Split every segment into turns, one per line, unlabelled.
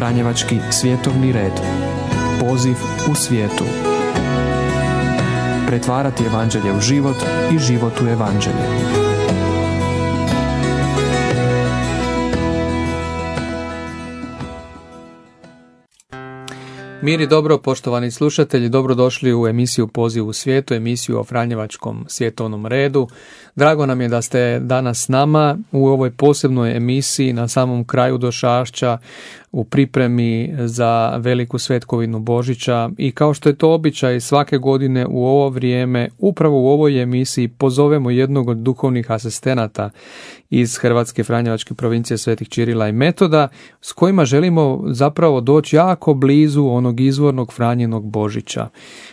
Franjevački svjetovni red. Poziv u svijetu. Pretvarati evanđelje u život i život u evanđelje.
Mir i dobro, poštovani slušatelji, dobrodošli u emisiju Poziv u svijetu, emisiju o Franjevačkom svjetovnom redu. Drago nam je da ste danas s nama u ovoj posebnoj emisiji na samom kraju došašća, u pripremi za veliku svetkovinu Božića, i kao što je to običaj svake godine u ovo vrijeme, upravo u ovoj emisiji pozovemo jednog od duhovnih asistenata iz Hrvatske Franjevačke provincije Svetih Čirila i Metoda, s kojima želimo zapravo doći jako blizu onog izvornog Franjinog Božića,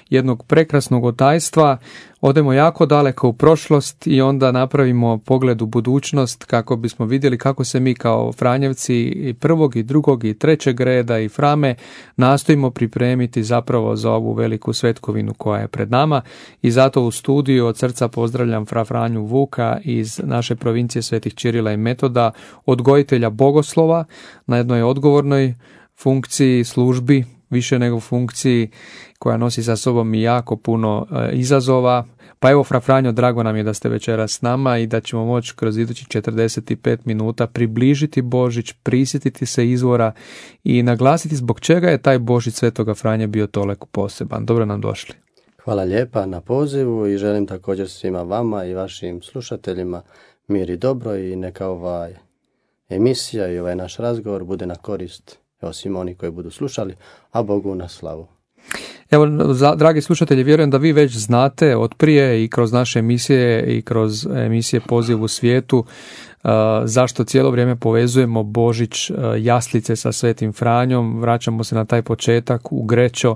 jednog prekrasnog otajstva. Odemo jako daleko u prošlost i onda napravimo pogled u budućnost kako bismo vidjeli kako se mi kao Franjevci i prvog i drugog i trećeg reda i Frame nastojimo pripremiti zapravo za ovu veliku svetkovinu koja je pred nama. I zato u studiju od srca pozdravljam fra Franju Vuka iz naše provincije Svetih Čirila i Metoda, odgojitelja bogoslova na jednoj odgovornoj funkciji, službi, više nego funkciji koja nosi sa sobom i jako puno izazova. Pa evo, fra Franjo, drago nam je da ste večeras s nama i da ćemo moći kroz idućih 45 minuta približiti Božić, prisjetiti se izvora i naglasiti zbog čega je taj Božić Svetoga Franje bio toliko poseban. Dobro nam došli.
Hvala lijepa na pozivu i želim također svima vama i vašim slušateljima mir i dobro, i neka ova emisija i ovaj naš razgovor bude na korist svima oni koji budu slušali, a Bogu na slavu.
Evo, dragi slušatelji, vjerujem da vi već znate od prije i kroz naše emisije i kroz emisije Poziv u svijetu zašto cijelo vrijeme povezujemo Božić, jaslice sa Svetim Franjom. Vraćamo se na taj početak u Grečo.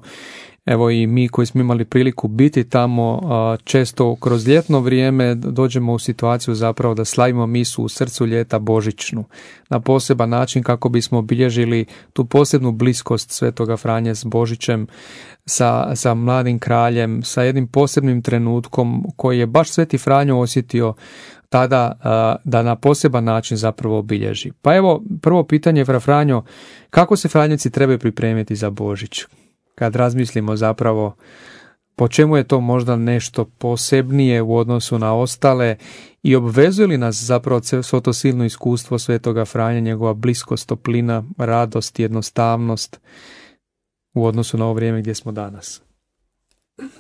Evo i mi koji smo imali priliku biti tamo, često kroz ljetno vrijeme dođemo u situaciju zapravo da slavimo misu u srcu ljeta božićnu na poseban način kako bismo obilježili tu posebnu bliskost Svetoga Franje s Božićem, sa mladim kraljem, sa jednim posebnim trenutkom koji je baš Sveti Franjo osjetio tada da na poseban način zapravo obilježi. Pa evo, prvo pitanje, fra Franjo, kako se Franjevci trebaju pripremiti za Božić? Kad razmislimo zapravo po čemu je to možda nešto posebnije u odnosu na ostale i obvezuje li nas zapravo svo to silno iskustvo Svetoga Franje, njegova bliskost, toplina, radost, jednostavnost u odnosu na ovo vrijeme gdje smo danas?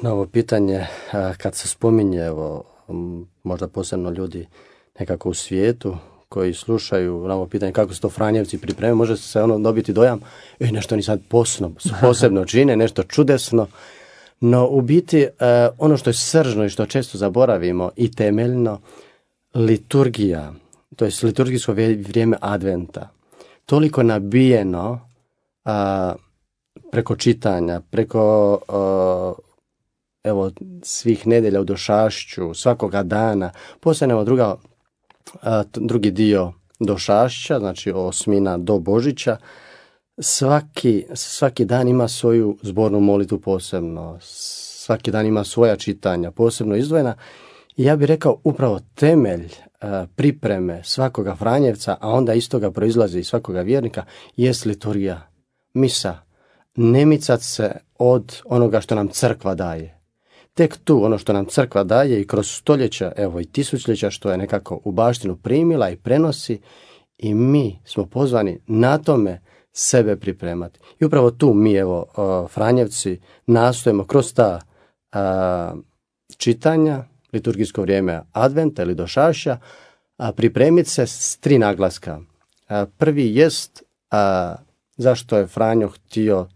Na ovo pitanje, kad se spominje, evo, možda posebno ljudi nekako u svijetu koji slušaju na ovo pitanje kako se to Franjevci pripremaju, može se dobiti dojam nešto oni sad posebno čine, nešto čudesno, no u biti ono što je sržno i što često zaboravimo i temeljno, liturgija, to je liturgijsko vrijeme adventa, toliko nabijeno preko čitanja, preko svih nedjelja u došašću, svakoga dana, posebno drugi dio došašća, znači osmina do Božića, svaki dan ima svoju zbornu molitvu posebno, svaki dan ima svoja čitanja posebno izdvojena, i ja bih rekao upravo temelj pripreme svakoga Franjevca, a onda iz toga proizlazi i svakoga vjernika, jest liturgija, misa, ne micat se od onoga što nam crkva daje. Tek tu ono što nam crkva daje i kroz stoljeća, evo i tisućljeća, što je nekako u baštinu primila i prenosi, i mi smo pozvani na tome sebe pripremati. I upravo tu mi, Franjevci, nastojimo kroz ta čitanja, liturgijsko vrijeme adventa ili došašća, pripremiti se s 3 naglaska. Prvi jest zašto je Franjo htio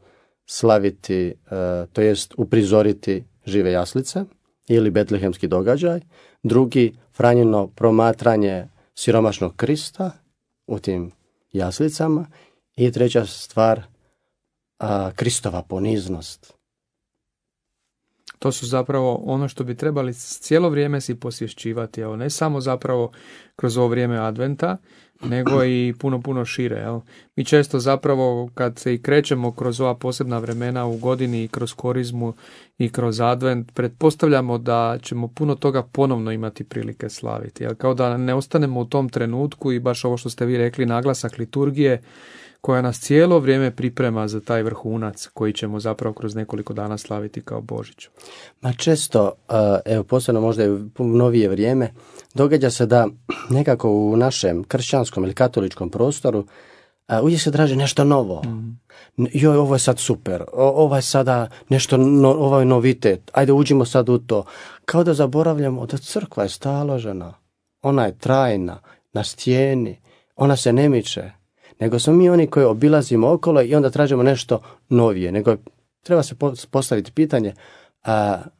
slaviti, to jest uprizoriti žive jaslice ili betlehemski događaj. Drugi, Franjino promatranje siromašnog Krista u tim jaslicama. I treća stvar, Kristova poniznost.
To su zapravo ono što bi trebali cijelo vrijeme si posvješćivati, evo, ne samo zapravo kroz ovo vrijeme adventa, nego i puno šire. Jel? Mi često zapravo kad se i krećemo kroz ova posebna vremena u godini i kroz korizmu i kroz advent, pretpostavljamo da ćemo puno toga ponovno imati prilike slaviti. Jel? Kao da ne ostanemo u tom trenutku i baš ovo što ste vi rekli, naglasak liturgije koja nas cijelo vrijeme priprema za taj vrhunac koji ćemo zapravo kroz nekoliko dana slaviti kao Božić.
Ma često, evo posebno možda i u novije vrijeme, događa se da nekako u našem kršćanskom ili katoličkom prostoru uvijek se traži nešto novo. Joj, ovo je sad super, ovo je sada nešto, ovo je novitet, ajde uđimo sad u to. Kao da zaboravljamo da crkva je staložena, ona je trajna, na stijeni, ona se ne miče. Nego smo mi oni koji obilazimo okolo i onda tražimo nešto novije. Nego treba se postaviti pitanje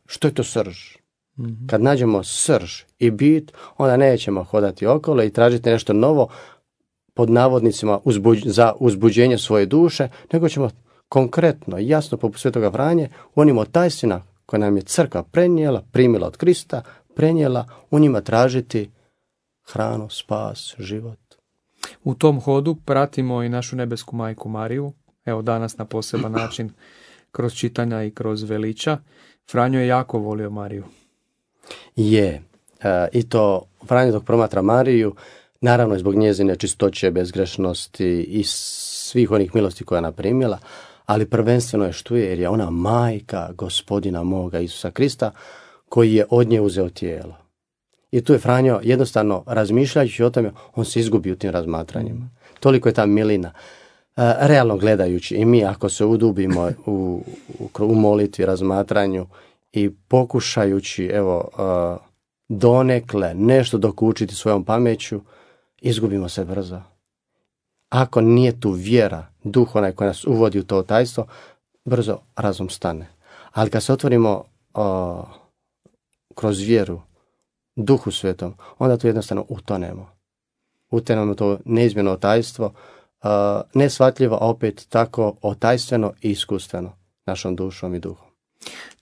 što je to srž? Kad nađemo srž i bit, onda nećemo hodati okolo i tražiti nešto novo pod navodnicima za uzbuđenje svoje duše, nego ćemo konkretno i jasno poput Svetoga Franje u onim otajstvima koje nam je crkva prenijela, primila od Krista, prenijela, u njima tražiti hranu, spas, život.
U tom hodu pratimo i našu nebesku majku Mariju, evo danas na poseban način kroz čitanja i kroz veliča. Franjo je jako volio Mariju.
Je, i to Franjo dok promatra Mariju, naravno i zbog njezine čistoće, bezgrešnosti i svih onih milosti koja je naprimila, ali prvenstveno je što je, jer je ona majka Gospodina moga Isusa Krista koji je od nje uzeo tijelo. I tu je Franjo jednostavno razmišljajući o tome, on se izgubi u tim razmatranjima. Toliko je ta milina. Realno gledajući i mi ako se udubimo u molitvi, razmatranju i pokušajući donekle nešto dokučiti svojom pameću, izgubimo se brzo. Ako nije tu vjera, duh onaj koji nas uvodi u to tajstvo, brzo razum stane. Ali kad se otvorimo kroz vjeru, Duhu Svetom, onda tu jednostavno utonemo. Utonemo to neizmjerno otajstvo, nesvatljivo, a opet tako otajstveno i iskustveno našom dušom i duhom.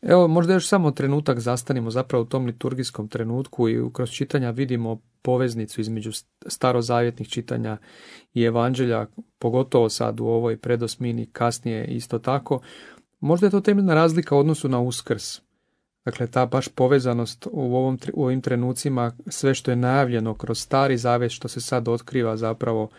Evo, možda još samo trenutak zastanimo zapravo u tom liturgijskom trenutku i kroz čitanja vidimo poveznicu između starozavjetnih čitanja i evanđelja, pogotovo sad u ovoj predosmini, kasnije isto tako. Možda je to temeljna razlika u odnosu na Uskrs. Dakle, ta baš povezanost u ovim trenucima, sve što je najavljeno kroz Stari Zavjet, što se sad otkriva zapravo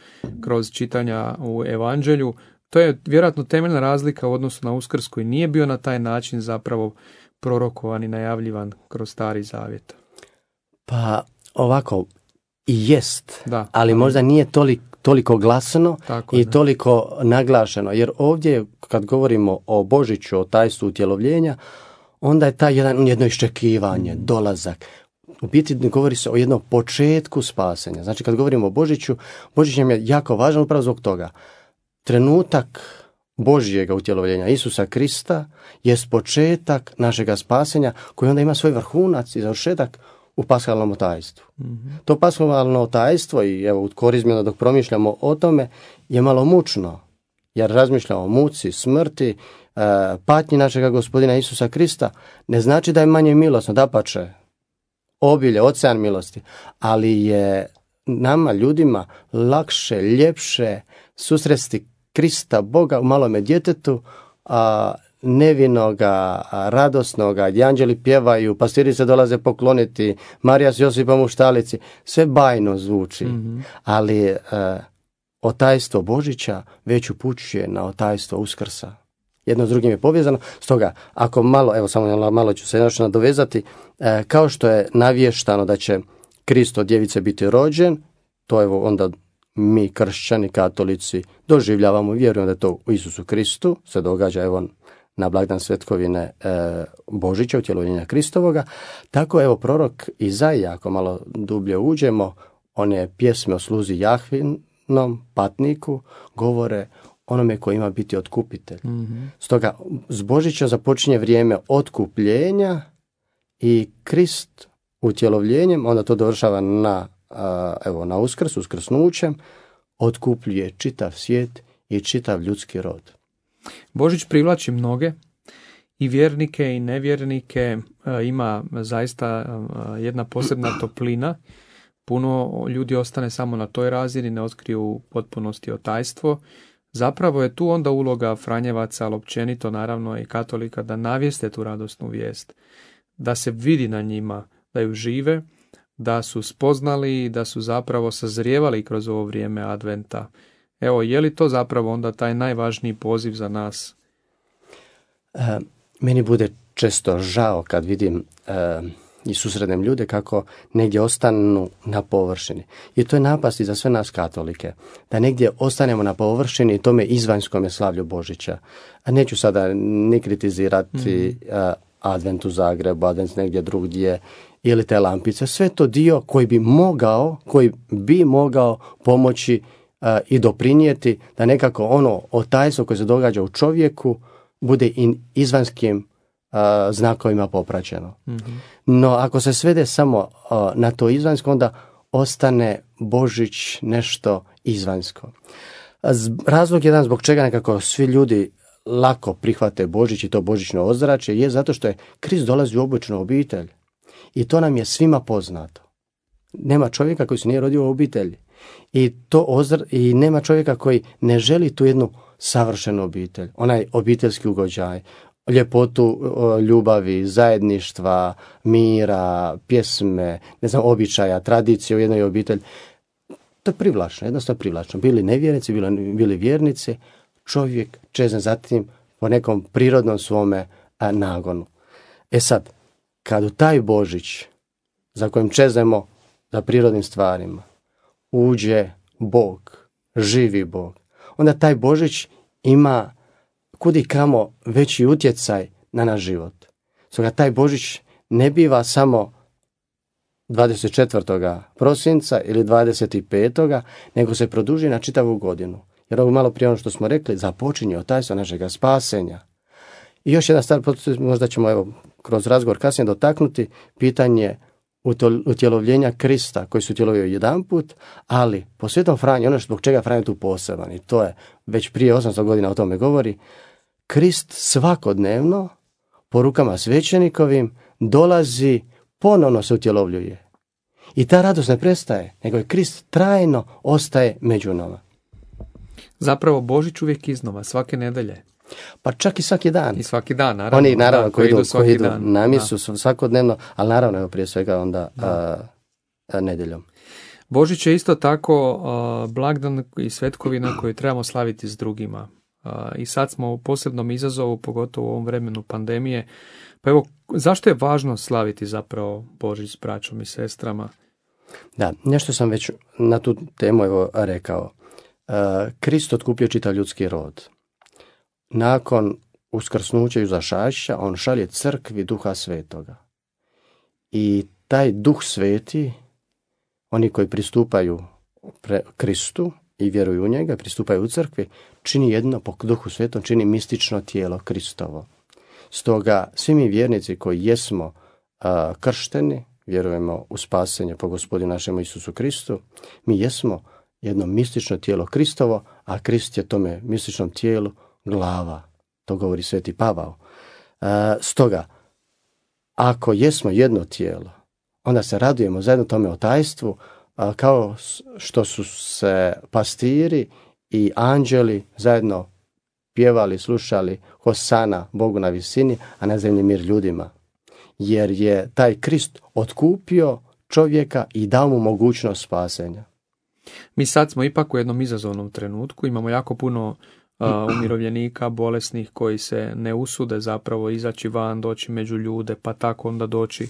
kroz čitanja u Evanđelju, to je vjerojatno temeljna razlika u odnosu na Uskrs koji nije bio na taj način zapravo prorokovan i najavljivan kroz Stari Zavjet.
Pa ovako i jest,
da,
ali možda nije toliko glasno i toliko naglašeno, jer ovdje kad govorimo o Božiću, o tajstvu utjelovljenja, onda je taj jedno iščekivanje, dolazak. U biti govori se o jednom početku spasenja. Znači kad govorimo o Božiću, Božić nam je jako važan upravo zbog toga. Trenutak Božjega utjelovljenja Isusa Krista je početak našega spasenja koji onda ima svoj vrhunac i završetak u paskalnom tajstvu. To paskalno tajstvo i evo u korizmi dok promišljamo o tome je malo mučno, jer razmišljamo o muci, smrti, patnji našega Gospodina Isusa Krista, ne znači da je manje milosno, dapače, obilje, ocean milosti, ali je nama, ljudima, lakše, ljepše susresti Krista, Boga u malome djetetu, nevinoga, radosnoga, gdje anđeli pjevaju, pastiri se dolaze pokloniti, Marija s Josipom u štalici, sve bajno zvuči, ali otajstvo Božića već upućuje na otajstvo Uskrsa. Jedno s drugim je povezano. Stoga, ako malo, evo samo malo ću se još nadovezati, kao što je navještano da će Krist od djevice biti rođen, to evo onda mi kršćani, katolici doživljavamo, vjerujemo da je to u Isusu Kristu, se događa evo na blagdan svetkovine Božića, utjelovljenja Kristovoga. Tako evo prorok Izaija, ako malo dublje uđemo, one pjesme o sluzi Jahvinom, patniku, govore onome koji ima biti otkupitelj. Stoga, s Božića započinje vrijeme otkupljenja i Krist utjelovljenjem, onda to dovršava na Uskrs, uskrsnućem, otkupljuje čitav svijet i čitav ljudski rod.
Božić privlači mnoge, i vjernike i nevjernike, ima zaista jedna posebna toplina, puno ljudi ostane samo na toj razini, ne otkriju u potpunosti otajstvo. Zapravo je tu onda uloga Franjevaca, ali općenito naravno i katolika, da navijeste tu radosnu vijest, da se vidi na njima, da ju žive, da su spoznali i da su zapravo sazrijevali kroz ovo vrijeme adventa. Evo, je li to zapravo onda taj najvažniji poziv za nas?
Meni bude često žao kad vidim i susrednem ljude kako negdje ostanu na površini. I to je napast i za sve nas katolike. Da negdje ostanemo na površini tome izvanjskome slavlju Božića. A neću sada ni kritizirati advent u Zagrebu, advent negdje drugdje ili te lampice. Sve to dio koji bi mogao pomoći i doprinijeti da nekako ono otajstvo koje se događa u čovjeku bude i izvanskim znakovima popraćeno. Mm-hmm. No, ako se svede samo na to izvanjsko, onda ostane Božić nešto izvanjsko. Razlog jedan zbog čega nekako svi ljudi lako prihvate Božić i to božićno ozračje je zato što je Krist dolazi u običnu obitelj. I to nam je svima poznato. Nema čovjeka koji se nije rodio u obitelji. I nema čovjeka koji ne želi tu jednu savršenu obitelj. Onaj obiteljski ugođaj, ljepotu ljubavi, zajedništva, mira, pjesme, običaja, tradicije u jednoj obitelji. To je privlačno, jednostavno privlačno. Bili nevjernici, bili vjernici, čovjek čezne zatim po nekom prirodnom svome nagonu. E sad, kad u taj Božić, za kojim čezemo za prirodnim stvarima, uđe Bog, živi Bog, onda taj Božić ima kudi kamo veći utjecaj na naš život. Stoga taj Božić ne biva samo 24. prosinca ili 25. nego se produži na čitavu godinu. Jer ovo malo prije ono što smo rekli, započinje otajstvo našega spasenja. I još jedna stvar, možda ćemo kroz razgovor kasnije dotaknuti, pitanje utjelovljenja Krista koji su utjelovio jedanput, ali po Svetom Franji, ono zbog čega Franjo tu poseban, i to je već prije 800 godina o tome govori, Krist svakodnevno po rukama svećenikovim dolazi, ponovno se utjelovljuje. I ta radost ne prestaje, nego je Krist trajno ostaje među nama.
Zapravo Božić uvijek iznova, svake nedelje.
Pa čak i svaki dan.
I svaki dan, naravno.
Oni naravno koji idu
dan.
na misu svakodnevno, ali naravno prije svega onda nedjeljom.
Božić je isto tako blagdan i svetkovina koju trebamo slaviti s drugima. I sad smo u posebnom izazovu, pogotovo u ovom vremenu pandemije. Pa evo, zašto je važno slaviti zapravo Božić s braćom i sestrama?
Da, nešto sam već na tu temu rekao. Krist otkupio čitav ljudski rod. Nakon uskrsnuća i uzašašća, on šalje crkvi Duha Svetoga. I taj Duh Sveti, oni koji pristupaju Kristu i vjeruju u njega, pristupaju u crkvi, čini jedno po Duhu Svetom, čini mistično tijelo Kristovo. Stoga svi mi vjernici koji jesmo kršteni, vjerujemo u spasenje po Gospodinu našemu Isusu Kristu, mi jesmo jedno mistično tijelo Kristovo, a Krist je tome mističnom tijelu glava. To govori Sveti Pavao. Stoga, ako jesmo jedno tijelo, onda se radujemo zajedno tome otajstvu, kao što su se pastiri i anđeli zajedno pjevali, slušali Hosana Bogu na visini, a na zemlji mir ljudima. Jer je taj Krist otkupio čovjeka i dao mu mogućnost spasenja.
Mi sad smo ipak u jednom izazovnom trenutku, imamo jako puno umirovljenika, bolesnih koji se ne usude zapravo izaći van, doći među ljude, pa tako onda doći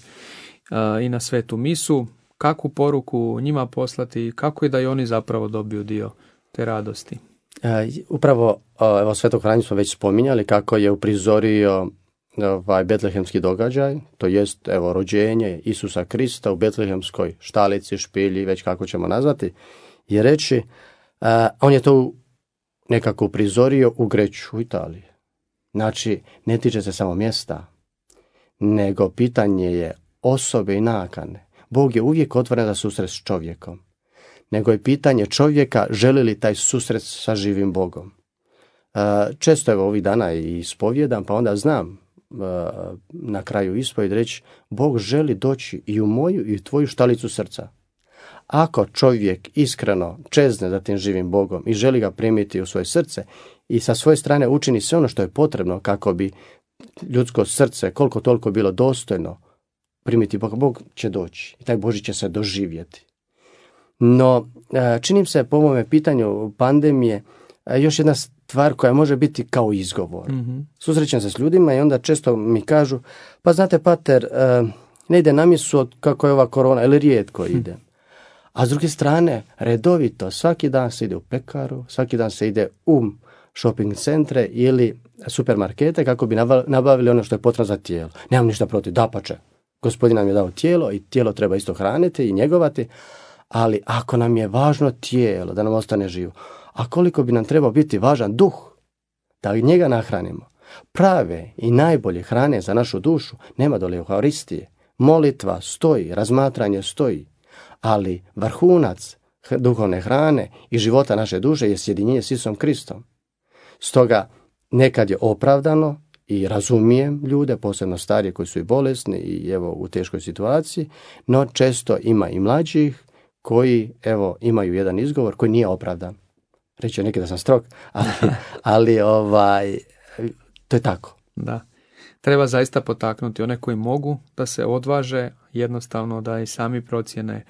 i na svetu misu. Kakvu poruku njima poslati, kako je da i oni zapravo dobiju dio te radosti?
Upravo evo, Svetog Franju smo već spominjali kako je uprizorio betlehemski događaj, to jest evo, rođenje Isusa Krista u betlehemskoj štalici, špilji, već kako ćemo nazvati, i reći, on je to nekako uprizorio u Greću, u Italiji. Znači, ne tiče se samo mjesta, nego pitanje je osobe i nakane. Bog je uvijek otvoren za susret s čovjekom, nego je pitanje čovjeka želi li taj susret sa živim Bogom. Često evo ovih dana i ispovjedam, pa onda znam na kraju ispovjed reći, Bog želi doći i u moju i u tvoju štalicu srca. Ako čovjek iskreno čezne za tim živim Bogom i želi ga primiti u svoje srce i sa svoje strane učini sve ono što je potrebno kako bi ljudsko srce koliko toliko bilo dostojno primiti Boga, Bog će doći i taj Božji će se doživjeti. No, činim se po ovome pitanju pandemije još jedna stvar koja može biti kao izgovor. Susrećem se s ljudima i onda često mi kažu, pa znate pater, ne ide na misu kako je ova korona, ili rijetko ide. A s druge strane, redovito, svaki dan se ide u pekaru, svaki dan se ide u shopping centre ili supermarkete kako bi nabavili ono što je potrebno za tijelo. Nemam ništa protiv, dapače. Gospodin nam je dao tijelo i tijelo treba isto hraniti i njegovati, ali ako nam je važno tijelo da nam ostane živo, a koliko bi nam trebao biti važan duh, da njega nahranimo, prave i najbolje hrane za našu dušu nema dole Euharistije. Molitva stoji, razmatranje stoji, ali vrhunac duhovne hrane i života naše duše je sjedinjenje s Isusom Kristom. Stoga nekad je opravdano i razumijem ljude, posebno starije koji su i bolesni i evo u teškoj situaciji, no često ima i mlađih koji evo imaju jedan izgovor koji nije opravdan. Reći neki da sam strog, ali to je tako.
Da. Treba zaista potaknuti one koji mogu da se odvaže, jednostavno da i sami procjene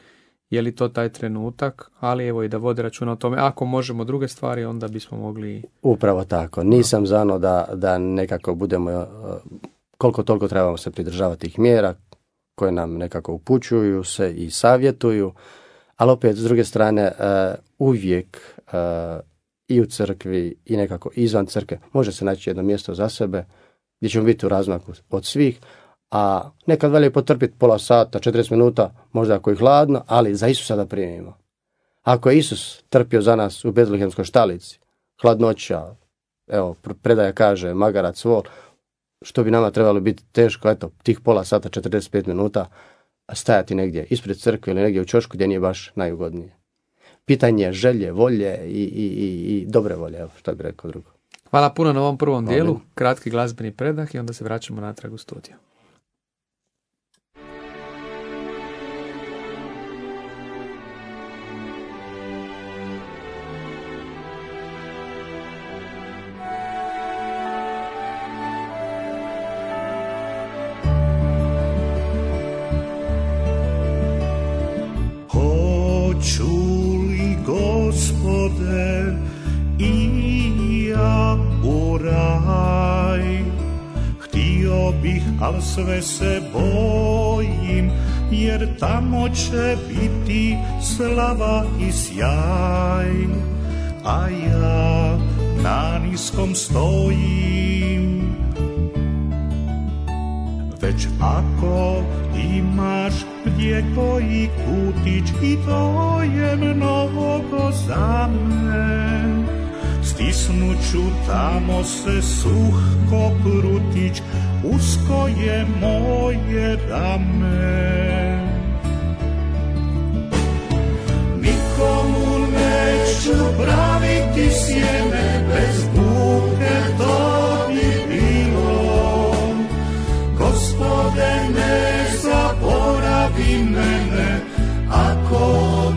je li to taj trenutak, ali evo i da vode računa o tome. Ako možemo druge stvari, onda bismo mogli...
Upravo tako. Nisam za ono da nekako budemo, koliko toliko trebamo se pridržavati tih mjera koje nam nekako upućuju se i savjetuju, ali opet s druge strane uvijek i u crkvi i nekako izvan crkve može se naći jedno mjesto za sebe gdje ćemo biti u razmaku od svih, a nekad valja potrpiti pola sata, 40 minuta, možda ako je hladno, ali za Isusa da primimo. Ako je Isus trpio za nas u Betlehemskoj štalici, hladnoća, evo, predaja kaže, magarac, vol, što bi nama trebalo biti teško, eto, tih pola sata, 45 minuta, stajati negdje ispred crkve ili negdje u ćošku gdje nije baš najugodnije. Pitanje želje, volje i dobre volje, evo, što bi rekao drugo.
Hvala puno na ovom prvom dijelu, kratki glazbeni predah i onda se vraćamo natrag u studiju.
Al sve se bojim, jer tamo će biti slava i sjaj, a ja na niskom stojim. Već ako imaš gdje koji kutić, i to je mnogo za me, stisnuću tamo se suh ko prutić, usko je moje rame. Nikomu neću praviti sjeme, bez buke to bi bilo. Gospode, ne zaboravi mene, ako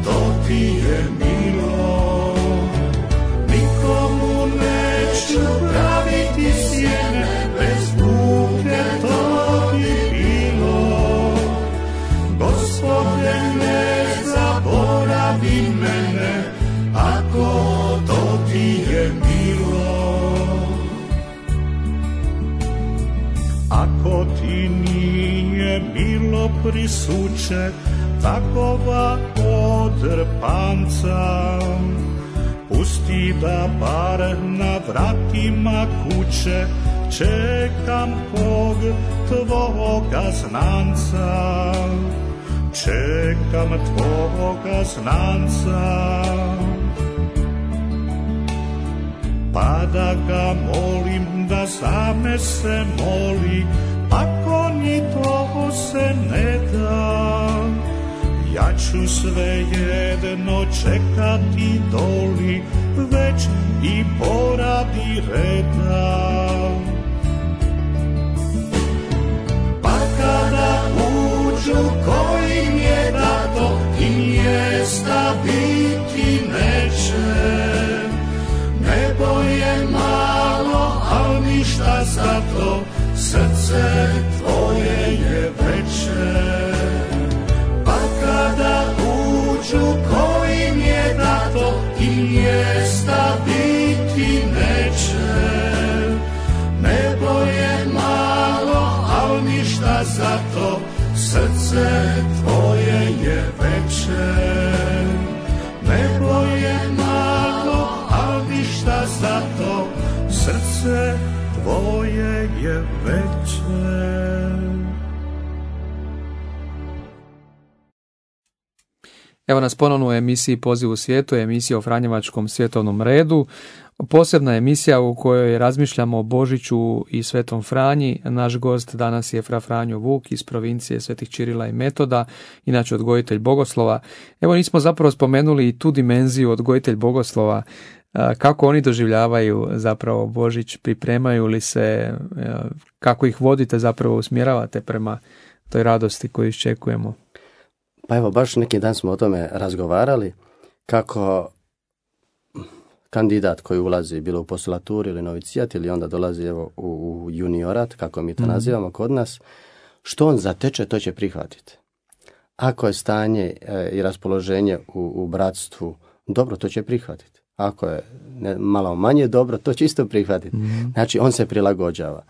to ti je milo. Nikomu neću praviti sjeme, bez buke to bi bilo. Gospode, ne zaboravi mene, ako to ti je milo. Ako ti nije bilo prisuće takova odrpanca, pusti da bar na vratima kuće čekam kog tvoga znanca. Čekam tvoga znanca, pa da ga molim da za me se moli, ako ni to se ne da, ja ću svejedno čekati doli, već i poradi reda. Pa kada uđu kojim je dato, im je mjesta biti neće. Nebo je malo, al ništa za to, srce tvoje je veće. Pa kada uđu kojim je dato i mjesta biti neće. Nebo je malo, al ništa za to, srce tvoje je veće. Nebo je malo, al ništa za to, srce tvoje je veće.
Evo nas ponovno u emisiji Poziv u svijetu, emisija o Franjevačkom svjetovnom redu. Posebna emisija u kojoj razmišljamo o Božiću i Svetom Franji. Naš gost danas je fra Franjo Vuk iz provincije Svetih Čirila i Metoda, inače odgojitelj bogoslova. Evo nismo zapravo spomenuli i tu dimenziju odgojitelj bogoslova, kako oni doživljavaju zapravo Božić, pripremaju li se, kako ih vodite, zapravo usmjeravate prema toj radosti koju iščekujemo.
Pa evo, baš neki dan smo o tome razgovarali, kako kandidat koji ulazi bilo u postulaturu ili novicijat ili onda dolazi evo u juniorat, kako mi to nazivamo kod nas, što on zateče, to će prihvatiti. Ako je stanje i raspoloženje u bratstvu dobro, to će prihvatiti. Ako je malo manje dobro, to će isto prihvatiti. Znači, on se prilagođava.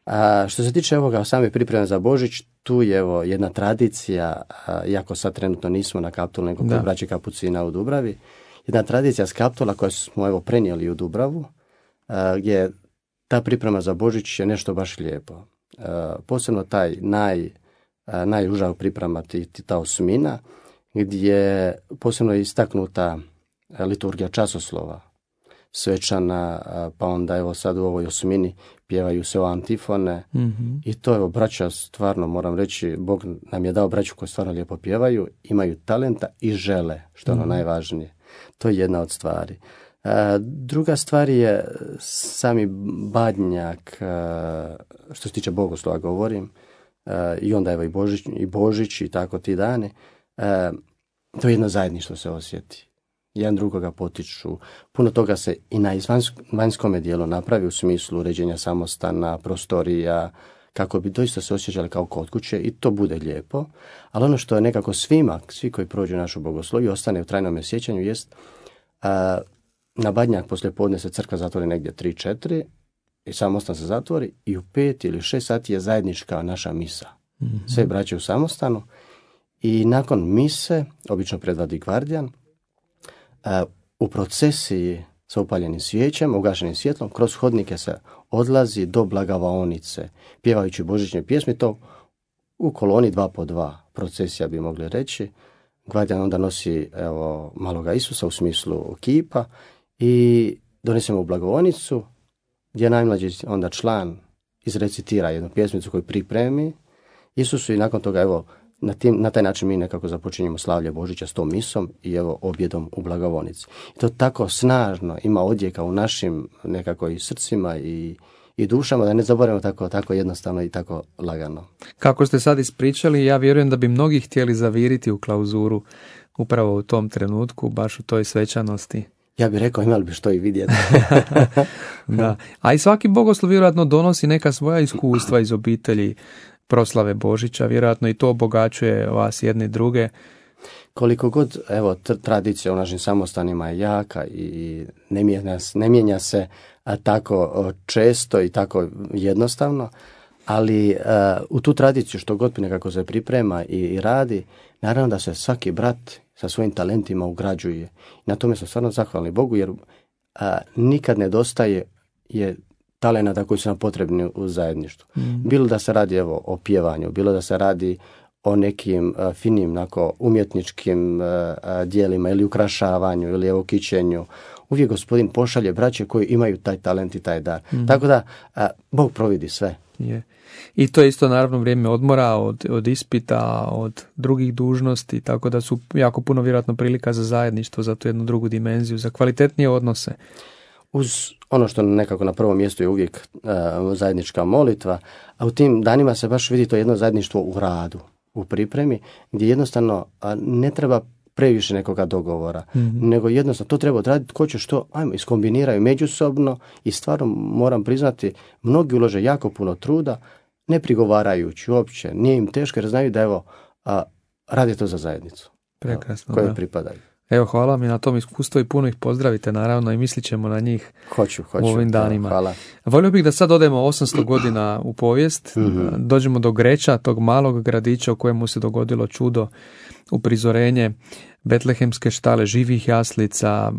A što se tiče ovoga same pripreme za Božić, tu je evo jedna tradicija, iako sad trenutno nismo na Kaptolu, nego kod braće Kapucina u Dubravi, jedna tradicija s Kaptola koju smo evo prenijeli u Dubravu, gdje ta priprema za Božić je nešto baš lijepo. Posebno taj najuža priprema, ta osmina, gdje posebno je istaknuta liturgija časoslova, svečana, pa onda evo sad u ovoj osmini pjevaju se o antifone i to evo braća, stvarno moram reći, Bog nam je dao braću koji stvarno lijepo pjevaju, imaju talenta i žele, što je ono najvažnije. To je jedna od stvari. Druga stvar je sami badnjak, što se tiče bogoslova govorim, i onda evo i Božić i tako ti dani, to je jedno zajedništvo se osjeti. Jedan drugoga potiču. Puno toga se i na vanjskome dijelu napravi u smislu uređenja samostana, prostorija, kako bi doista se osjećali kao kod kuće i to bude lijepo. Ali ono što je nekako svi koji prođu našu bogosloviju ostane u trajnom sjećanju jest na Badnjak poslije podne se crkva zatvori negdje 3-4 i samostan se zatvori i u 5 ili 6 sati je zajednička naša misa. Sve braće u samostanu i nakon mise, obično predvodi gvardijan, u procesiji sa upaljenim svijećama, ugašenim svjetlom, kroz hodnike se odlazi do blagavaonice, pjevajući božićne pjesme, to u koloni 2 po 2, procesija bi mogli reći. Gvardijan onda nosi evo, maloga Isusa u smislu kipa i donesemo u blagovaonicu, gdje najmlađi onda član izrecitira jednu pjesmicu koju pripremi Isusu i nakon toga evo, na taj način mi nekako započinjemo slavlje Božića s tom misom i evo objedom u blagovonici. I to tako snažno ima odjeka u našim nekako i srcima i dušama, da ne zaboravimo tako jednostavno i tako lagano.
Kako ste sad ispričali, ja vjerujem da bi mnogi htjeli zaviriti u klauzuru upravo u tom trenutku, baš u toj svečanosti.
Ja bih rekao, imali bi što i vidjeti.
Da. A i svaki bogoslov vjerojatno donosi neka svoja iskustva iz obitelji proslave Božića, vjerojatno i to obogaćuje vas jedne i druge.
Koliko god, evo, tradicija u našim samostanima je jaka i ne mijenja se tako često i tako jednostavno, ali u tu tradiciju što god nekako se priprema i radi, naravno da se svaki brat sa svojim talentima ugrađuje. Na tome smo stvarno zahvalni Bogu, jer nikad nedostaje talenata koji su nam potrebni u zajedništvu. Bilo da se radi evo, o pjevanju, bilo da se radi o nekim finim umjetničkim dijelima ili ukrašavanju ili evo kićenju. Uvijek Gospodin pošalje braće koji imaju taj talent i taj dar. Tako da Bog providi sve.
Je. I to je isto naravno vrijeme odmora od ispita, od drugih dužnosti, tako da su jako puno vjerojatno prilika za zajedništvo, za tu jednu drugu dimenziju, za kvalitetnije odnose.
Uz ono što nekako na prvom mjestu je uvijek zajednička molitva, a u tim danima se baš vidi to jedno zajedništvo u radu, u pripremi, gdje jednostavno ne treba previše nekoga dogovora, nego jednostavno to treba odraditi ko će što, ajmo, iskombiniraju međusobno i stvarno moram priznati, mnogi ulože jako puno truda, ne prigovarajući uopće, nije im teško jer znaju da evo, rade to za zajednicu.
Prekrasno,
koje
da.
pripadaju.
Evo, hvala mi na tom iskustvu i puno ih pozdravite, naravno, i mislit ćemo na njih
Hoću,
u ovim danima.
Hvala.
Volio bih da sad odemo 800 godina u povijest, dođemo do Greća, tog malog gradića u kojemu se dogodilo čudo, uprizorenje betlehemske štale, živih jaslica.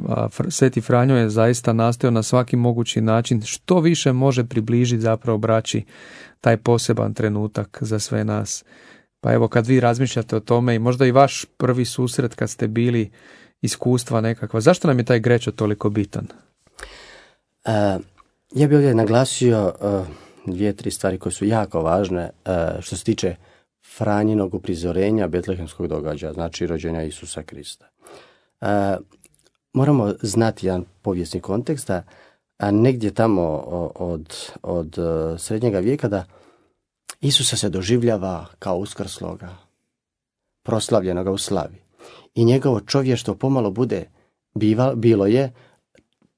Sveti Franjo je zaista nastojao na svaki mogući način što više može približiti zapravo braći taj poseban trenutak za sve nas. Pa evo, kad vi razmišljate o tome i možda i vaš prvi susret kad ste bili, iskustva nekakva, zašto nam je taj Grećo toliko bitan?
Ja bih ovdje naglasio 2-3 stvari koje su jako važne što se tiče Franjinog uprizorenja betlehemskog događaja, znači rođenja Isusa Krista. Moramo znati jedan povijesni kontekst, a negdje tamo od srednjega vijeka da Isusa se doživljava kao uskrsloga, proslavljenoga u slavi. I njegovo čovještvo pomalo bilo je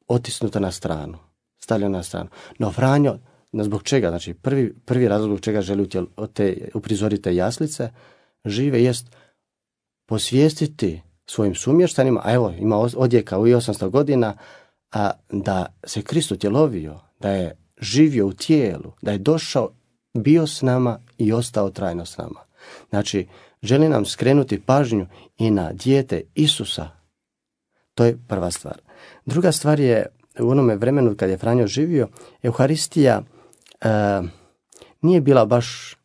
otisnuto na stranu, stavljeno na stranu. No Franjo, zbog čega? Znači, prvi razlog zbog čega želi uprizoriti te jaslice žive jest posvijestiti svojim sumještanima, a evo, ima odjeka u 800 godina, da se Krist utjelovio, da je živio u tijelu, da je došao, bio s nama i ostao trajno s nama. Znači, želi nam skrenuti pažnju i na dijete Isusa. To je prva stvar. Druga stvar je, u onome vremenu kad je Franjo živio, Euharistija nije bila baš,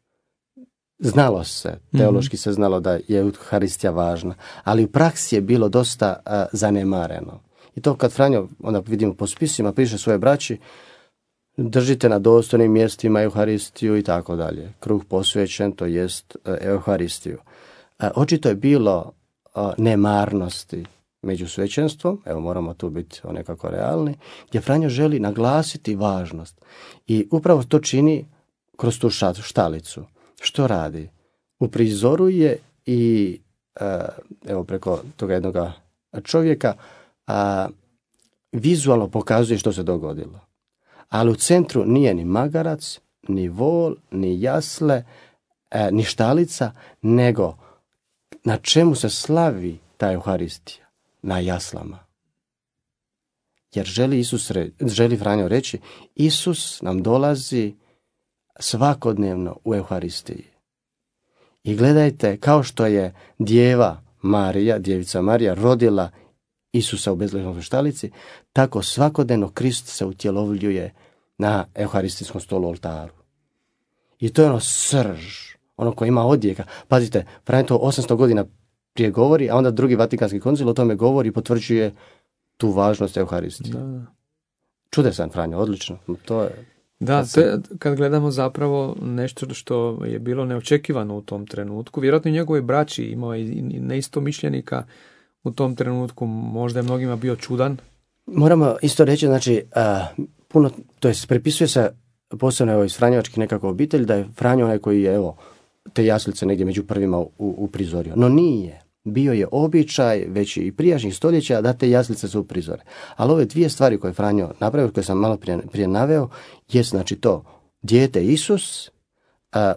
znalo se, teološki se znalo da je Euharistija važna, ali u praksi je bilo dosta zanemareno. I to kad Franjo, onda vidimo po spisima, piše svoje braći, držite na dostojnim mjestima Euharistiju i tako dalje. Kruh posvećen, to jest Euharistiju. Očito je bilo nemarnosti među svećenstvom, evo moramo tu biti nekako realni, gdje Franjo želi naglasiti važnost. I upravo to čini kroz tu štalicu. Što radi? Uprizoruje i evo preko toga jednog čovjeka vizualno pokazuje što se dogodilo. Ali u centru nije ni magarac, ni vol, ni jasle, ni štalica, nego na čemu se slavi ta Euharistija? Na jaslama. Jer želi Franjo reći, Isus nam dolazi svakodnevno u Euharistiji. I gledajte, kao što je djevica Marija rodila Isusa u Betlehemskoj štalici, tako svakodnevno Krist se utjelovljuje na Euharistijskom stolu oltaru. I to je ono srž, ono koje ima odjeka. Pazite, Franjo to 800 godina prije govori, a onda drugi Vatikanski koncil o tome govori i potvrđuje tu važnost Euharistije.
Da.
Čudesan Franjo, odlično. To je...
Da, to je, kad gledamo zapravo nešto što je bilo neočekivano u tom trenutku, vjerojatno i njegove braći imao i neistomišljenika u tom trenutku, možda je mnogima bio čudan.
Moramo isto reći, znači, puno, to jest prepisuje se posebno evo, iz Franjevačkih nekako obitelj, da je Franjo onaj koji je, evo, te jaslice negdje među prvima uprizorio. No nije. Bio je običaj već i prijašnjih stoljeća da te jaslice se uprizore. Ali ove dvije stvari koje je Franjo napravio, koje sam malo prije naveo, je znači to dijete Isus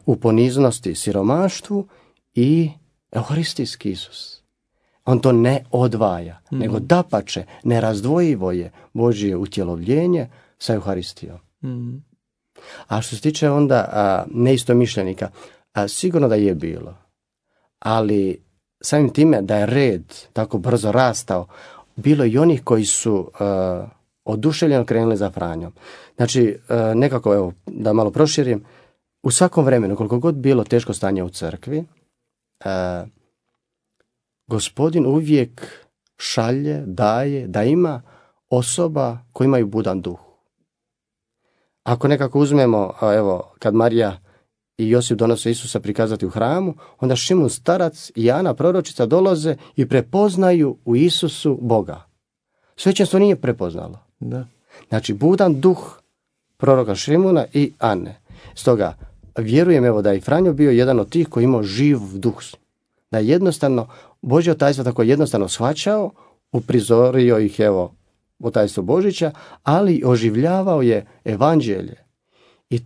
u poniznosti siromaštvu i Euharistijski Isus. On to ne odvaja, nego dapače, nerazdvojivo je Božje utjelovljenje sa Euharistijom. A što se tiče onda neistomišljenika, sigurno da je bilo, ali samim time da je red tako brzo rastao, bilo i onih koji su oduševljeno krenuli za Franjom. Znači, nekako, evo, da malo proširim, u svakom vremenu, koliko god bilo teško stanje u crkvi, Gospodin uvijek šalje, daje, da ima osoba koji imaju budan duh. Ako nekako uzmemo, evo, kad Marija i Josip donose Isusa prikazati u hramu, onda Šimun starac i Ana proročica dolaze i prepoznaju u Isusu Boga. Svećenstvo nije prepoznalo.
Da.
Znači, budan duh proroka Šimuna i Ane. Stoga, vjerujem evo da je i Franjo bio jedan od tih koji imao živ duh. Da je jednostavno Božje tajstvo tako jednostavno shvaćao, uprizorio ih evo u tajstvo Božića, ali oživljavao je evanđelje. I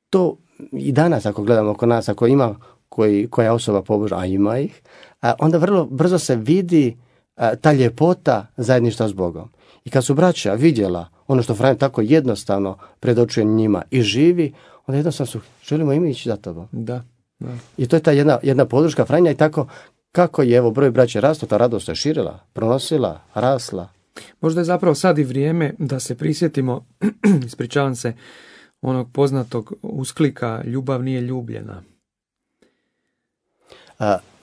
to i danas ako gledamo oko nas, ako ima koja osoba pobožna, a ima ih, onda vrlo brzo se vidi ta ljepota zajedništva s Bogom. I kad su braća vidjela ono što Franjo tako jednostavno predočuje njima i živi, onda jednostavno su, želimo i mi ići za tobom.
Da.
I to je ta jedna podrška Franja i tako kako je evo broj braća rastao, ta radost se širila, pronosila, rasla.
Možda je zapravo sad i vrijeme da se prisjetimo, ispričavam se, onog poznatog usklika ljubav nije ljubljena.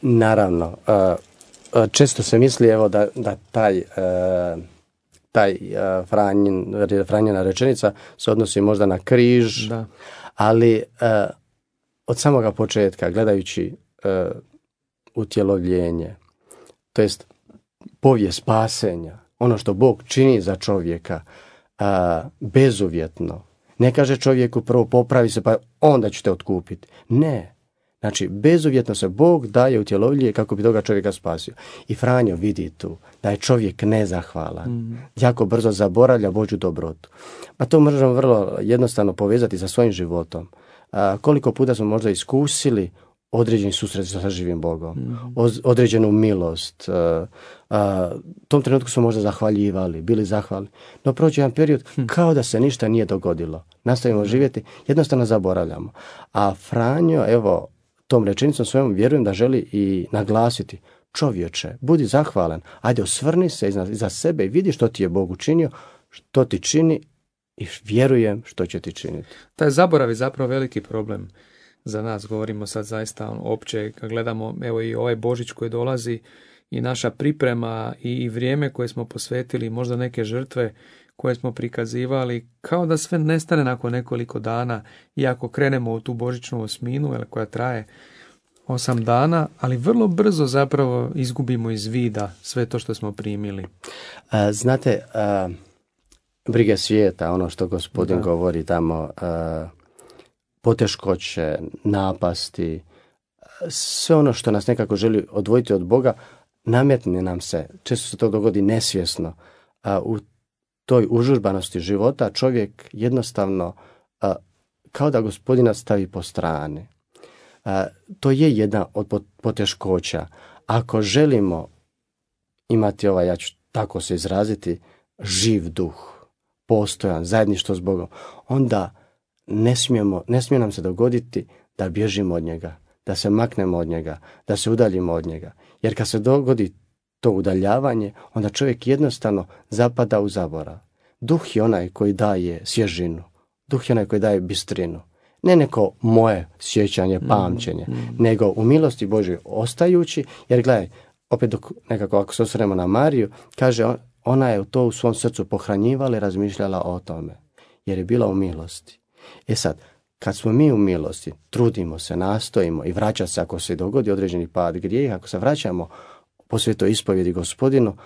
Naravno, često se misli evo da taj Franjina rečenica se odnosi možda na križ,
da.
Ali od samoga početka, gledajući utjelovljenje, to jest povijest spasenja, ono što Bog čini za čovjeka, bezuvjetno. Ne kaže čovjeku prvo popravi se pa onda ću te otkupiti. Ne. Znači, bezuvjetno se Bog daje utjelovljenje kako bi toga čovjeka spasio. I Franjo vidi tu da je čovjek nezahvalan. Jako brzo zaboravlja Božju dobrotu. Pa to možemo vrlo jednostavno povezati sa svojim životom. Koliko puta smo možda iskusili određeni susret sa živim Bogom, određenu milost. Tom trenutku smo možda zahvaljivali, bili zahvalni. No prođe jedan period kao da se ništa nije dogodilo. Nastavimo živjeti, jednostavno zaboravljamo. A Franjo, evo, tom rečenicom svojom vjerujem da želi i naglasiti: čovječe, budi zahvalan, ajde osvrni se iza sebe i vidi što ti je Bog učinio, što ti čini i vjerujem što će ti činiti.
Taj zaborav je zapravo veliki problem za nas, govorimo sad zaista opće, kad gledamo evo i ovaj Božić koji dolazi i naša priprema i vrijeme koje smo posvetili, možda neke žrtve koje smo prikazivali, kao da sve nestane nakon nekoliko dana, iako krenemo u tu božićnu osminu koja traje 8 dana, ali vrlo brzo zapravo izgubimo iz vida sve to što smo primili.
Znate, brige svijeta, ono što Gospodin govori tamo, poteškoće, napasti, sve ono što nas nekako želi odvojiti od Boga, nametne nam se, često se to dogodi nesvjesno, u toj užurbanosti života čovjek jednostavno kao da Gospodina stavi po strani. To je jedna od poteškoća. Ako želimo imati ja ću tako se izraziti, živ duh, postojan, zajedništvo s Bogom, onda ne smije nam se dogoditi da bježimo od njega, da se maknemo od njega, da se udaljimo od njega. Jer kad se dogodi to udaljavanje, onda čovjek jednostavno zapada u zaborav. Duh je onaj koji daje svježinu, duh je onaj koji daje bistrinu. Ne neko moje sjećanje, pamćenje, nego u milosti Božoj ostajući, jer gledaj, opet dok nekako ako se osvrnemo na Mariju, kaže ona je to u svom srcu pohranjivala i razmišljala o tome, jer je bila u milosti. E sad, kad smo mi u milosti, trudimo se, nastojimo i vraća se ako se dogodi određeni pad grijeha, ako se vraćamo po svetoj ispovjedi Gospodinu,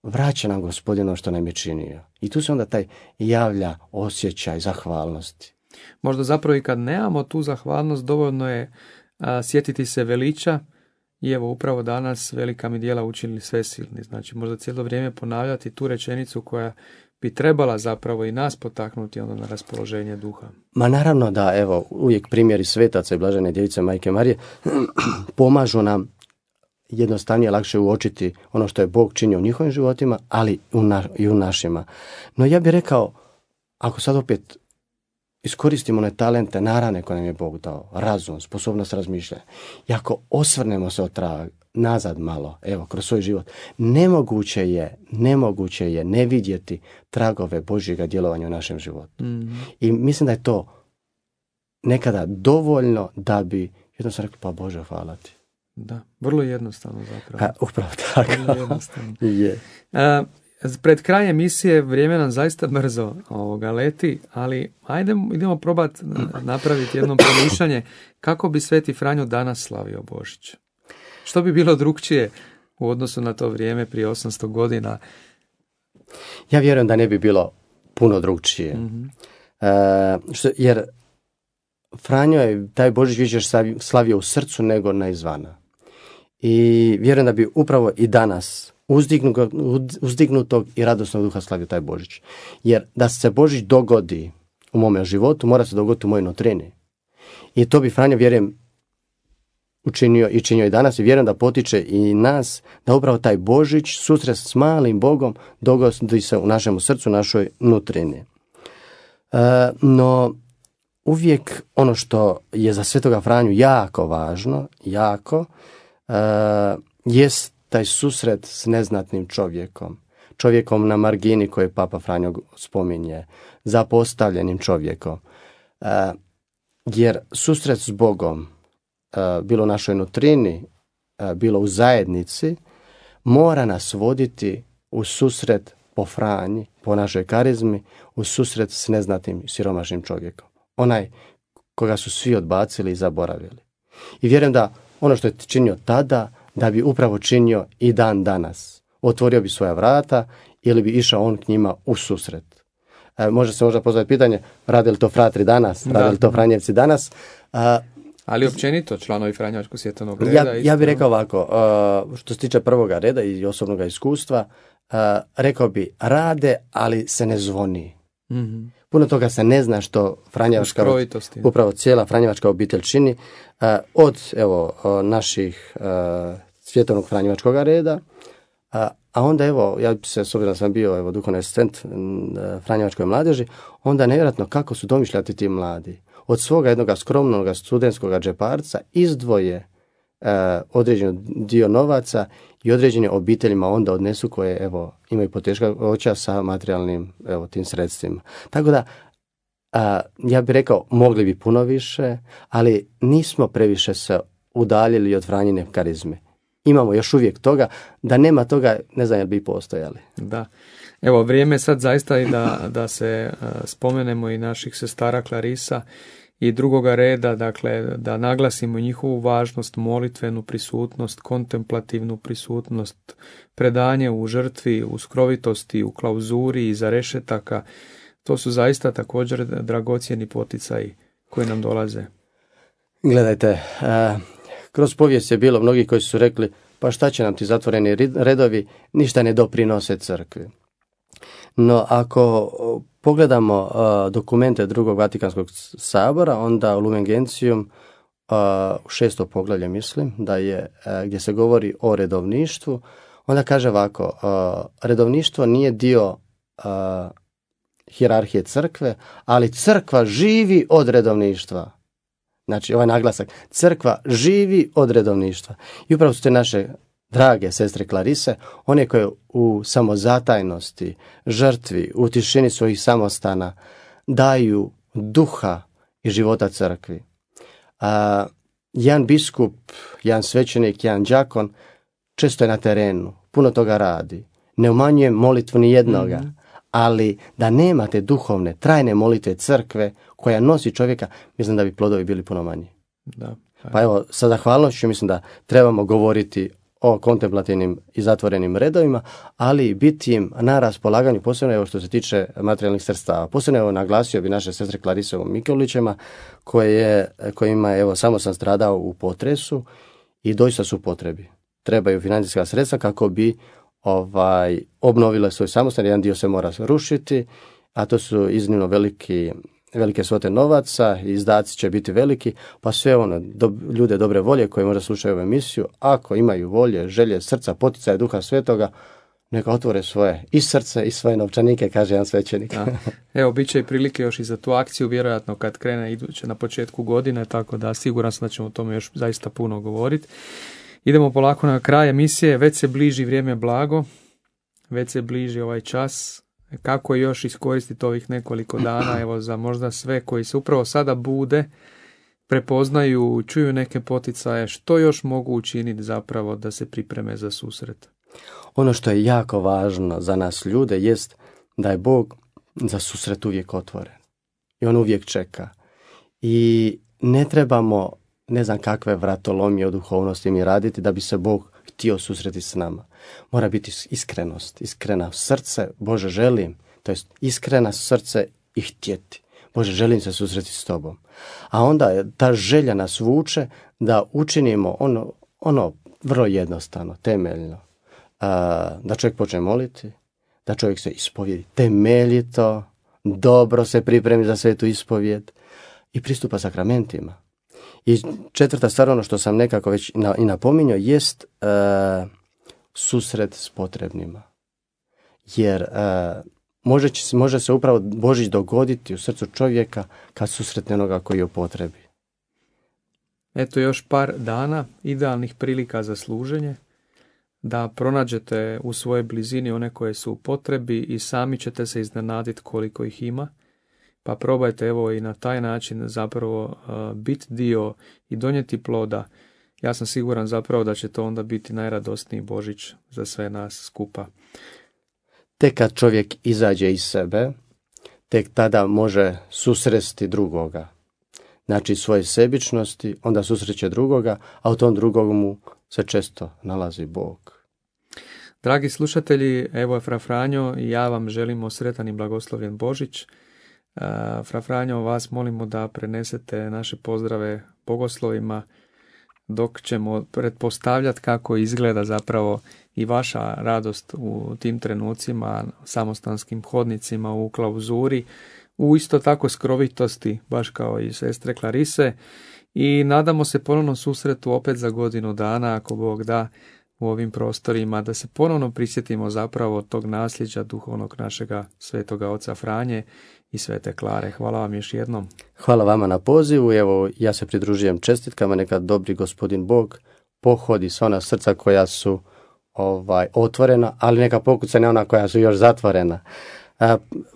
vraća nam Gospodinu što nam je činio. I tu se onda taj javlja osjećaj zahvalnosti.
Možda zapravo i kad nemamo tu zahvalnost, dovoljno je sjetiti se veliča i evo upravo danas velika mi djela učinili svesilni. Znači možda cijelo vrijeme ponavljati tu rečenicu koja bi trebala zapravo i nas potaknuti onda na raspoloženje duha.
Ma naravno da, evo, uvijek primjeri svetaca i blažene djevice Majke Marije pomažu nam jednostavnije, lakše uočiti ono što je Bog činio u njihovim životima, ali i u našima. No ja bih rekao, ako sad opet iskoristimo one talente, narane koje nam je Bog dao, razum, sposobnost razmišljanja, i ako osvrnemo se nazad malo, evo, kroz svoj život, nemoguće je ne vidjeti tragove Božjega djelovanja u našem životu. I mislim da je to nekada dovoljno da bi jednostavno rekli, pa Bože, hvala ti.
Da, vrlo jednostavno zapravo.
Upravo tako.
Vrlo jednostavno.
Je.
Pred krajem emisije vrijeme nam zaista brzo leti, ali idemo probati napraviti jedno promišljanje kako bi Sveti Franjo danas slavio Božić. Što bi bilo drukčije u odnosu na to vrijeme prije 800 godina?
Ja vjerujem da ne bi bilo puno drukčije. Jer Franjo je taj Božić više slavio u srcu nego na izvana. I vjerujem da bi upravo i danas uzdignutog i radosnog duha slavio taj Božić. Jer da se Božić dogodi u mome životu, mora se dogoditi u mojoj nutrini. I to bi Franjo, vjerujem, učinio i činio i danas, i vjerujem da potiče i nas da upravo taj Božić, susret s malim Bogom, dogodi se u našem srcu, našoj nutrini. No, uvijek ono što je za Svetoga Franju jako važno, jest taj susret s neznatnim čovjekom na margini koje Papa Franjo spominje, zapostavljenim čovjekom. Jer susret s Bogom, bilo u našoj nutrini, bilo u zajednici, mora nas voditi u susret po Franji, po našoj karizmi, u susret s neznatnim siromašnim čovjekom. Onaj koga su svi odbacili i zaboravili. I vjerujem da ono što je činio tada, da bi upravo činio i dan danas. Otvorio bi svoja vrata ili bi išao on k njima u susret. Može se možda postaviti pitanje, rade li to fratri danas, rade li to Franjevci danas?
Ali općenito članovi Franjevačkog svjetovnog reda.
Ja bih rekao ovako, što se tiče prvoga reda i osobnog iskustva, rekao bi rade, ali se ne zvoni.
Mm-hmm.
Puno toga se ne zna što Franjevačka, upravo cijela Franjevačka obitelj čini, od naših svjetovnog Franjevačkog reda, a onda ja bi se, s obzirom da sam bio duhovni asistent Franjevačkoj mladeži, onda nevjerojatno kako su domišljati ti mladi. Od svoga jednog skromnog studentskog džeparca izdvoje određen dio novaca i određene obiteljima onda odnesu koje imaju poteškoća sa materijalnim tim sredstvima. Tako da ja bih rekao mogli bi puno više, ali nismo previše se udaljili od Franjine karizme. Imamo još uvijek toga, da nema toga ne znam jel bi postojali.
Da. Evo, vrijeme sad zaista i da se spomenemo i naših sestara Klarisa i drugoga reda, dakle da naglasimo njihovu važnost, molitvenu prisutnost, kontemplativnu prisutnost, predanje u žrtvi, u skrovitosti, u klauzuri, iza rešetaka. To su zaista također dragocjeni poticaji koji nam dolaze.
Gledajte, kroz povijest je bilo mnogi koji su rekli, pa šta će nam ti zatvoreni redovi, ništa ne doprinose crkvi. No, ako pogledamo dokumente drugog Vatikanskog sabora, onda u Lumen Gentium, u 6. poglavlje mislim, da je gdje se govori o redovništvu, onda kaže ovako, redovništvo nije dio hijerarhije crkve, ali crkva živi od redovništva. Znači, ovaj naglasak, crkva živi od redovništva. I upravo su te naše drage sestre Klarise, one koje u samozatajnosti, žrtvi, u tišini svojih samostana daju duha i života crkvi. Jedan biskup, jedan svećenik, jedan đakon često je na terenu, puno toga radi. Ne umanjujem molitvu ni jednoga, ali da nemate duhovne, trajne molitve crkve koja nosi čovjeka, mislim da bi plodovi bili puno manji.
Da.
Pa evo, sa zahvalnošću mislim da trebamo govoriti o kontemplativnim i zatvorenim redovima, ali biti im na raspolaganju, posebno što se tiče materijalnih sredstava. Posebno naglasio bi naše sestre Klarise u Mikolićima, kojima samo sam stradao u potresu i doista su potrebi. Trebaju financijska sredstva kako bi obnovile svoj samostan. Jedan dio se mora rušiti, a to su iznimno velike svote novaca, izdaci će biti veliki, pa sve ljude dobre volje koji možda slušaju ovu emisiju, ako imaju volje, želje, srca, poticaje Duha Svetoga, neka otvore svoje i srce i svoje novčanike, kaže jedan svećenik.
Evo, bit će i prilike još i za tu akciju, vjerojatno kad krene iduće na početku godine, tako da siguran sam da ćemo o tome još zaista puno govoriti. Idemo polako na kraj emisije, već se bliži vrijeme blago, već se bliži ovaj čas. Kako još iskoristiti ovih nekoliko dana, evo za možda sve koji se upravo sada bude, prepoznaju, čuju neke poticaje, što još mogu učiniti zapravo da se pripreme za susret?
Ono što je jako važno za nas ljude jest da je Bog za susret uvijek otvoren. I on uvijek čeka. I ne trebamo, ne znam kakve vratolomije o duhovnosti mi raditi da bi se Bog htio susreti s nama. Mora biti iskrenost, iskrena srce, Bože želim, to jest iskrena srce i htjeti. Bože želim se susreti s tobom. A onda ta želja nas vuče da učinimo ono vrlo jednostavno, temeljno. Da čovjek počne moliti, da čovjek se ispovjedi temeljito, dobro se pripremi za svetu ispovjed i pristupa sakramentima. I četvrta stvar, ono što sam nekako već i napominjao, jest susret s potrebnima. Jer može se upravo Božić dogoditi u srcu čovjeka kad susretne onoga koji je u potrebi.
Eto još par dana idealnih prilika za služenje, da pronađete u svojoj blizini one koje su u potrebi i sami ćete se iznenaditi koliko ih ima. Pa probajte evo i na taj način zapravo biti dio i donijeti ploda. Ja sam siguran zapravo da će to onda biti najradosniji Božić za sve nas skupa.
Tek kad čovjek izađe iz sebe, tek tada može susresti drugoga. Znači svoje sebičnosti, onda susreće drugoga, a u tom drugomu se često nalazi Bog.
Dragi slušatelji, evo je Fra Franjo i ja vam želimo sretan i blagoslovljen Božić. Fra Franjo, vas molimo da prenesete naše pozdrave bogoslovima dok ćemo pretpostavljati kako izgleda zapravo i vaša radost u tim trenucima, samostanskim hodnicima u klauzuri, u isto tako skrovitosti, baš kao i sestre Klarise, i nadamo se ponovno susretu opet za godinu dana, ako Bog da, u ovim prostorima, da se ponovno prisjetimo zapravo tog nasljeđa duhovnog našega svetoga oca Franje i svete Klare. Hvala vam još jednom.
Hvala vama na pozivu. Evo, ja se pridružujem čestitkama, neka dobri gospodin Bog pohodi sva ona srca koja su otvorena, ali neka pokucane ona koja su još zatvorena.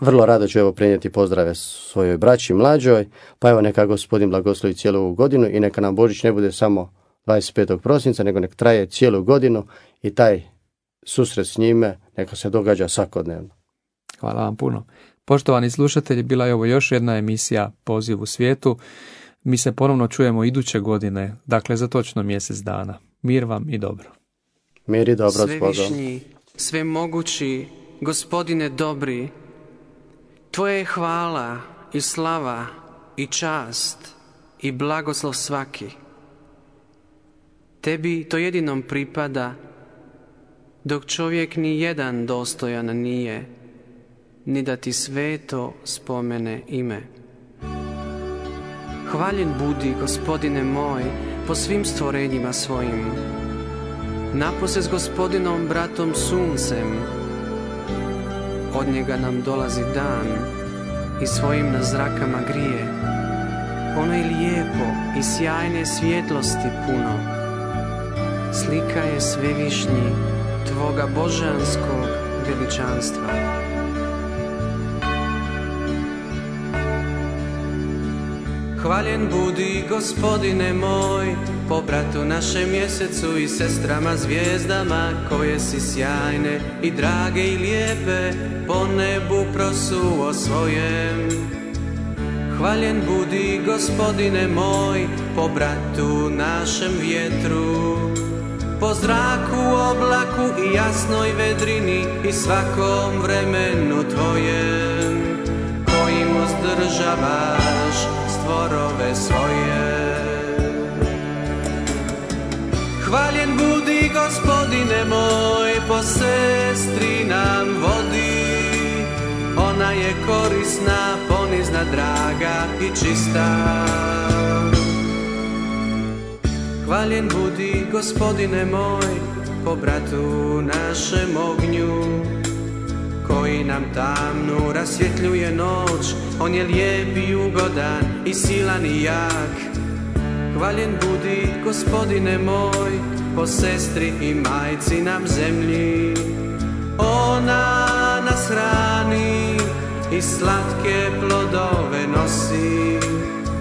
Vrlo rado ću prenijeti pozdrave svojoj braći mlađoj, pa evo neka gospodin blagoslovi cijelu ovu godinu i neka nam Božić ne bude samo 25. prosinca, nego nek traje cijelu godinu i taj susret s njime neka se događa svakodnevno.
Hvala vam puno. Poštovani slušatelji, bila je ovo još jedna emisija Poziv u svijetu. Mi se ponovno čujemo iduće godine, dakle za točno mjesec dana. Mir vam i dobro.
Mir i dobro s Bogom.
Svevišnji, svemogući, Gospodine dobri, Tvoje je hvala i slava i čast i blagoslov svaki. Tebi to jedinom pripada, dok čovjek ni jedan dostojan nije, ni da ti sveto spomene ime. Hvaljen budi, Gospodine moj, po svim stvorenjima svojim, napose s Gospodinom bratom suncem. Od njega nam dolazi dan i svojim nas zrakama grije. Ono je lijepo i sjajne svjetlosti puno. Slika je svevišnji Tvoga božanskog veličanstva. Hvaljen budi, Gospodine moj, po bratu našem mjesecu i sestrama zvijezdama, koje si sjajne i drage i lijepe po nebu prosuo svojem. Hvaljen budi, Gospodine moj, po bratu našem vjetru, po zraku, oblaku i jasnoj vedrini i svakom vremenu Tvojem, kojim uzdržavaš stvorove svoje. Hvaljen budi, Gospodine moj, po sestri nam vodi. Ona je korisna, ponizna, draga i čista. Hvaljen budi, Gospodine moj, po bratu našem ognju, koji nam tamnu rasvjetljuje noć. On je lijep i ugodan i silan i jak. Hvaljen budi, Gospodine moj, po sestri i majci nam zemlji. Ona nas hrani i slatke plodove nosi,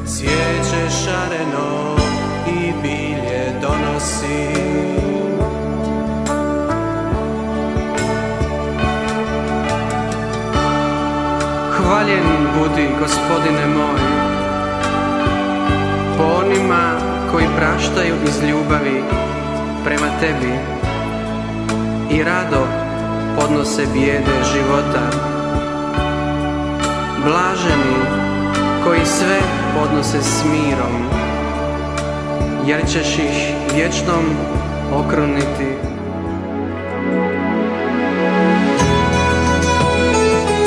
cvijeće šareno i bilje donosi. Hvaljen budi, Gospodine moj, po onima koji praštaju iz ljubavi prema Tebi i rado podnose bijede života. Blaženi koji sve podnose s mirom, jer ćeš ih vječnom okruniti.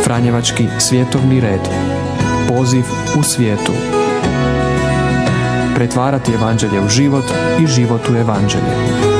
Franjevački svjetovni red. Poziv u svijetu. Pretvarati evanđelje u život i život u evanđelje.